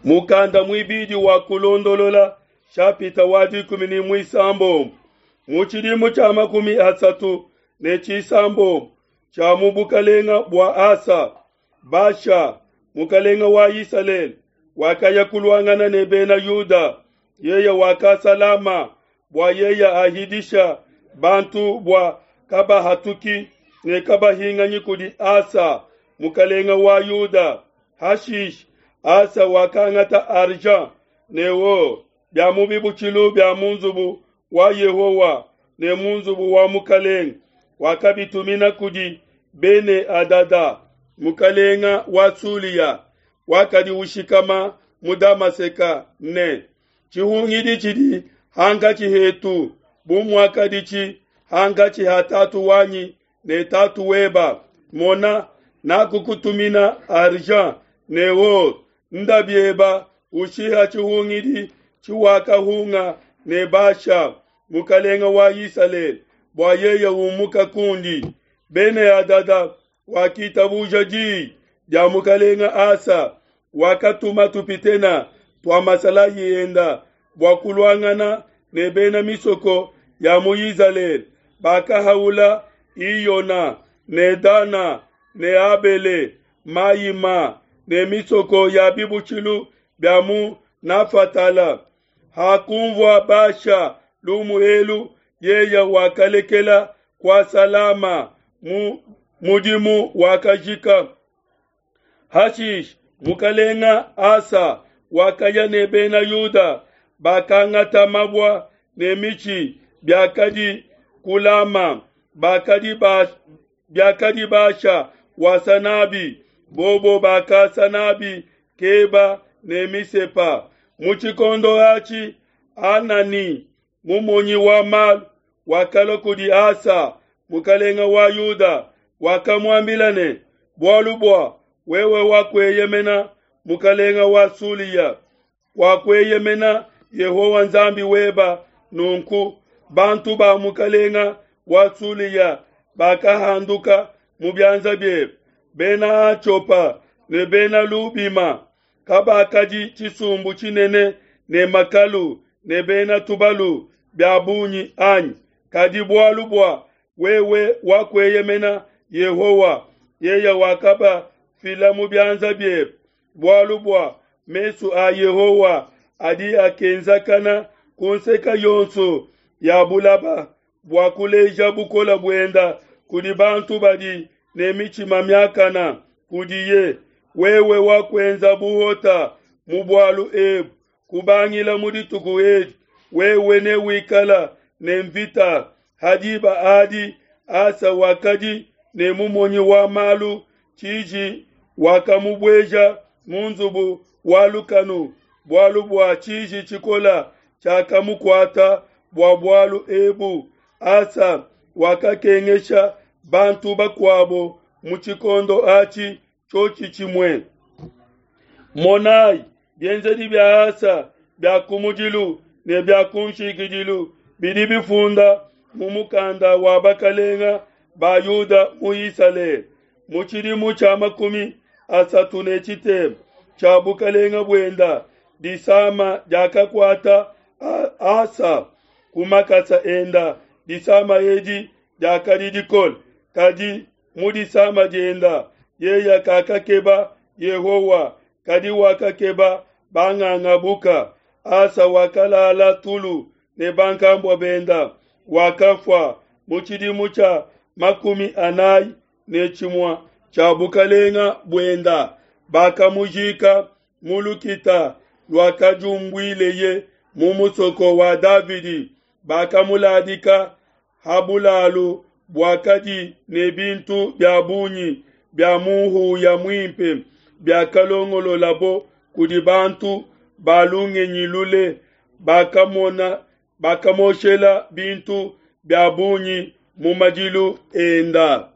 Mukanda muibidi wa Kulondolola shapita wa 16. Mu tshidimu tshia 36 tshia mu bukalenga bua Asa, Basha mukalenga wa Isalele wakaya kuluangana ne bena Yuda. Yeye wakasa Lama bua yeye ahidisha bantu bua kabahatuki ne kabahinganyi kudi Asa mukalenga wa Yuda. Hashishe Asa wakangata argent ne or bia mu bibutshilu bia mu nzubu wa Yehowa ne mu nzubu wa mukalenge, wakabitumina kudi Bene-Hadada mukalenga wa Sulia wakadi ushikama mu Damaseka ne, Tshihungidi tshidi hankatshi hetu bu muakaditshi hankatshi ha tatu wanyi ne tatu weba. Mona, nakukutumina argent ne or, nda bieba ushiha tshihungidi tshiwakahunga ne Basha mukalenga wa Isalele, bua yeye umuka kundi. Bene-Hadada wakitabuja diyi dia mukalenga Asa, wakatuma tupitena tua masalayi enda bua kuluangana ne bena misoko ya mu Isalele. Bakahaula Iyona ne Dana ne Abele Mayima ne misoko ya bibutshilu bia mu Nafatala. Hakunvua Basha lumu elu, yeye wakalekela kuasa Lama mu mudimu wakajika. Hashishe mukalenga Asa wakaya ne bena Yuda, bakangata mabua ne mitshi biakadi ku Lama, bakadi ba biakadi Basha wasa nabi, bobo bakasa nabi Keba ne Misepa. Mu tshikondo atshi Hanani mumonyi wa malu wakalua kudi Asa mukalenga wa Yuda, wakamuambila ne, Bualu bua wewe wakueyemena mukalenga wa Sulia, wakueyemena Yehowa Nzambi weba, nunku bantu ba mukalenga wa Sulia bakahanduka mu bianza biebe. Bena Atiopa ne bena Lubima kabakadi tshisumbu tshinene ne makalu ne bena tubalu bia bungi anyi? Kadi bualu bua wewe wakueyemena Yehowa, yeye wakabafila mu bianza biebe. Bualu bua mesu a Yehowa adi akenzakana ku nseka yonso ya bulaba bua kuleja bukole buenda kudi bantu badi ne mitshima miakana kudiye. Wewe wakuenza buhota mu bualu ebu, kubangila mu dituku edi wewe newikala ne mvita. Ha diba adi Asa wakadi ne mumonyi wa malu tshiji, wakamubueja mu nzubu wa lukanu, bualu bua tshiji tshikola tshiakamukuata bua bualu ebu. Asa wakakengesha bantu bakuabo mu tshikondo atshi tshiotshi tshimue. Monai, bienzedi bia Asa bia kumudilu ne bia kunshikidilu bidi bifunda mu mukanda wa bakalenga ba Yuda mu Isalele. Mu tshidimu tshia 33 tshia bukalenga buenda, disama diakakuata Asa ku makasa enda. Disama edi diakadi dikole, kadi mu disama dienda yeye kakakeba Yehowa, kadi wakakeba bangangabuka. Asa wakalala tulu ne bankambua benda, wakafua mu tshidimu tshia 41 tshia bukalenga buenda. Bakamujika mu lukita luakadiumbuileye mu musoko wa Davidi. Bakamuladika ha bulalu buakadi ne bintu bia bungi bia muhuya muimpe biakalongololabo kudi bantu ba lungenyi lule. Bakamona bakamoshela bintu bia bungi mu madilu enda.